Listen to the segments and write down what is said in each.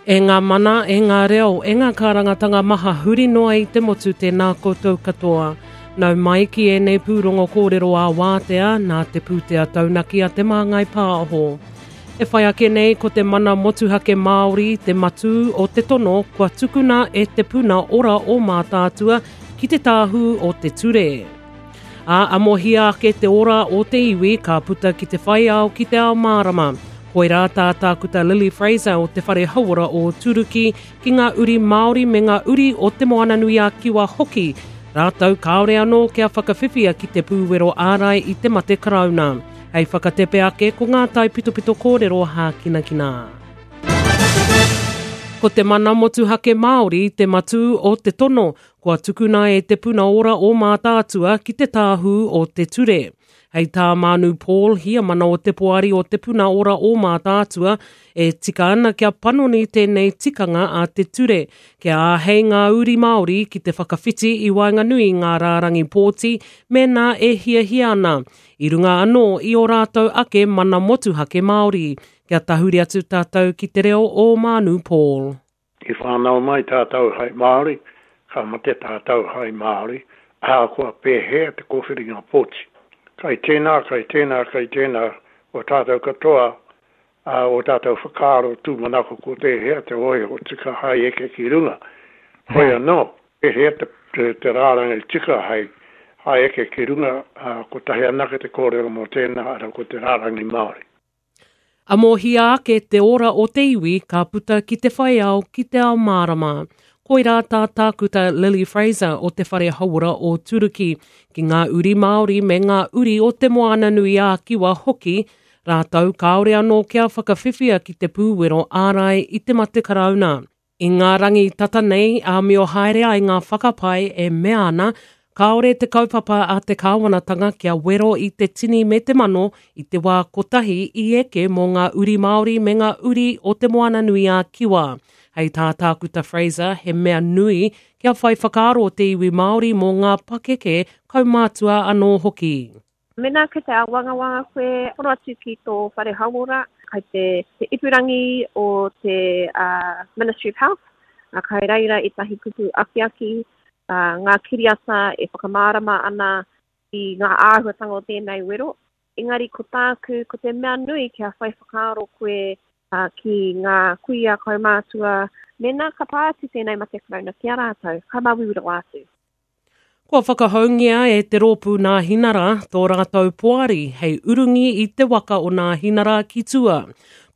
E ngā mana, e ngā reo, e ngā kārangatanga maha huri noa i te motu tēnā koutou katoa. Nau mai ki ēnei pūrongo kōrero ā-wātea nā te pūtea taunaki a Te Māngai Pāho. E whai ake nei ko te mana motuhake Māori te matū o te tono kua tukuna e Te Puna Ora o Mātaatua ki te Tāhū o te Ture. Ā, amohia ake te ora o te iwi ka puta ki te whai ao ki te ao mārama. Koirā tā Tākuta Lily Fraser o Te Whare Hauora o Turuki ki ngā uri Māori me ngā uri o Te Moananui-a-Kiwa hoki, rātou kāore anō kia whakawhiwhia ki te pūwero ārai i te mate karauna. Hei whakatepe ake ko ngā taipitopito kōrero hākinakina. Ko te mana motuhake Māori te matū o te tono Kua tukuna e Te Puna Ora o Mātaatua ki te Tāhū o te Ture. Hei tā Mānu Paul, Hiamana o te Poari o Te Puna Ora o Mātaatua, e tika ana kia panoni tēnei tikanga a te ture, kia āhei ngā uri Māori ki te whakawhiti i waenganui i ngā rārangi pōti mēnā e hiahia ana, i runga anō i ō rātou ake mana motuhake Māori. Kia tahuri atu tātou ki te reo o Mānu Paul. I whānau mai tātou hai Māori, ka mate tātou hai Māori, ahakoa pēhea te kōwhiringa pōti. Kai tēnā, kai tēnā, kai tēnā o tātou katoa, ā, ō tātou whakaaro tūmanako ko tēhea te hōiho tika hai eke ki runga. Hoi anō, pēhea te, te, te rārangi tika hai, hai eke ki runga, ā, kotahi anake te kōrero mō tēnā, arā, ko te rārangi Māori. Amohia ake te ora o te iwi ka puta ki te whai ao ki te ao mārama. Koirā tā Tākuta Lily Fraser o Te Whare Hauora o Turuki, ki ngā uri Māori me ngā uri o Te Moananui-ā-Kiwa hoki, rātou kāore anō kia whakawhiwhia ki te pūwero ārai i te mate karauna. I ngā rangi tata nei, āmio haere ai ngā whakapae e mea ana, kāore te kaupapa a te kāwanatanga kia wero i te tini me te mano i te wā kotahi i eke mō ngā uri Māori me ngā uri o Te Moananui-a-Kiwa. Hei tā Tākuta Fraser, he mea nui kia whai whakaaro te iwi Māori mō ngā pakeke kaumātua anō hoki. Mēnā kei te āwangawanga koe, hono atu ki tō whare hauora, kai te, te ipurangi o te uh, Ministry of Health, uh, kai reira ētahi kupu akiaki, uh, ngā kiriata e whakamārama ana i ngā āhuatanga o tēnei wero. Engari ko tāku, ko te mea nui kia whai whakaaro koe uh, ki ngā kuia kaumātua, mēnā ka pā atu tēnei mate karauna ki a rātou, ka māuiui rawa atu. Kua whakahoungia e te rōpū Nāhinara tō rātou poari hei urungi i te waka o Nāhinara ki tua.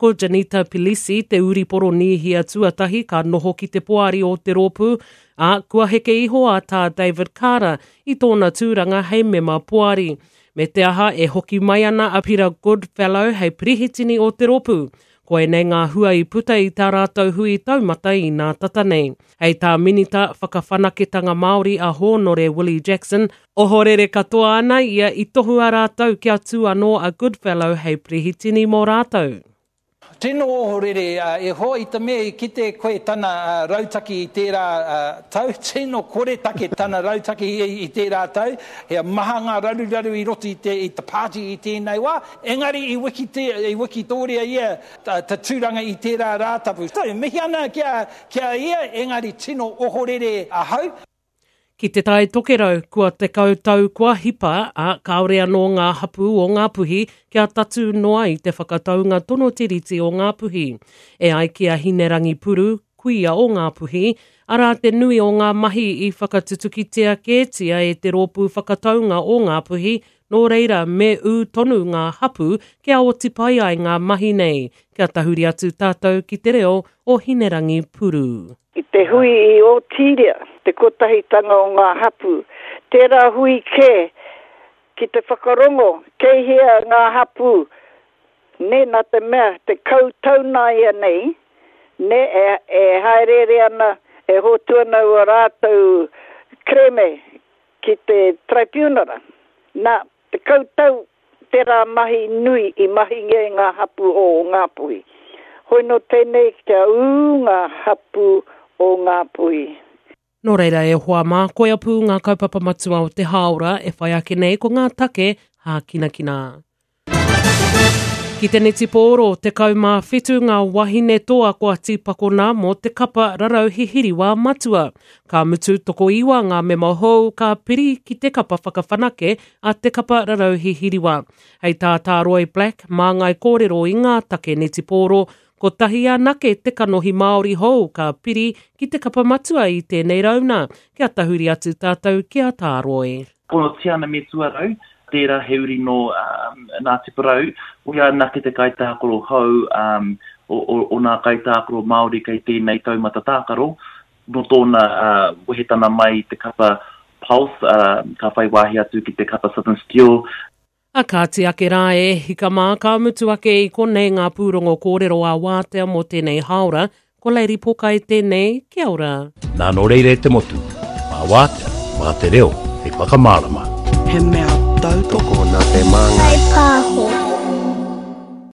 Ko Janita Pilisi te uri Poronīhia tuatahi ka noho ki te poari o te rōpū, ā, kua heke iho a Tā David Kara i tōna tūranga hei mema poari. Me te aha e hoki mai ana a Pira Goodfellow hei perehitini o te rōpū. Koinei ngā hua i puta i tā rātou hui taumata i nā tata nei. Hei tā Minita Whakawhanaketanga Māori a Hōnore Willie Jackson, ohorere katoa ana ia i tohua rātou kia tū anō a Goodfellow hei perehitini mō rātou. Tino ohorere e hoa i te mea i kite koe tana rautaki i tērā tau, tino koretake tana rautaki i tērā tau, he maha ngā raruraru i roto i te i te pāti i tēnei wā, Engari i i wikitōria ia ta tūranga i tērā Rātapu. E mihi ana ki a ki a ia, engari tino ohorere ahau. Ki Te Tai Tokerau, kua 10 tau kua hipa, ā, kāore anō ngā hapū o Ngāpuhi kia tatū noa i te whakataunga tono tiriti o Ngāpuhi. E ai ki a Hinerangi Puru, kuia o Ngāpuhi, arā te nui o ngā mahi i whakatutukitia kētia e te rōpū whakataunga o Ngāpuhi Nō reira, me ū tonu ngā hapū kia oti pai ai ngā mahi nei. Kia tahuri atu tātou ki te reo o Hinerangi Puru. I te hui i Ōtīria, te kotahitanga o ngā hapū, tērā hui kē ki te whakarongo kei hea ngā hapū, nē, nā te mea, 10 tau nāianei, nē, e, e hāereere ana, e hotu ana ua rātou kerēme ki te Taraipiunara. Nā, 10 tau tērā mahi nui i mahingia e ngā hapū o Ngāpuhi. Hoi nō tēnei kia ū ngā hapū o Ngāpuhi. Nō reira e hoa mā, koia pū ngā kaupapa matua o te hāora e whai ake nei ko ngā take hākinakina. Ki te netipōro, 17 ngā wahine toa kua tīpakona mō te kapa rarau hihiriwā matua. Ka mutu tokoiwa ngā mema hou ka piri ki te kapa whakawhanake a te kapa rarau hihiriwā. Hei tā Tāroi Black, māngai kōrero i ngā take netipōro, kotahi anake te kanohi Māori hou ka piri ki te kapa matua i tēnei rauna. Kia tahuri atu tātou ki a Tāroi. Ko Tiana Metuarau, tērā he uri nō Ngāti Porou, koia anake te kaitākaro hou o ngā kaitākaro Māori kei tēnei taumata tākaro. Nō tōna wehetana mai i te kapa Pulse, ka whai wāhi atu ki te kapa Southern Steel. A kāti ake rā e hika mā, ka mutu ake i konei ngā pūrongo kōrero ā-wātea mō tēnei hāora, Ko Lady Pokai tēnei, kia ora. Nā nō reira e te motu, mā wātea, mā te reo hei whakamārama. He mea tautoko nā te Māngai. Pāho.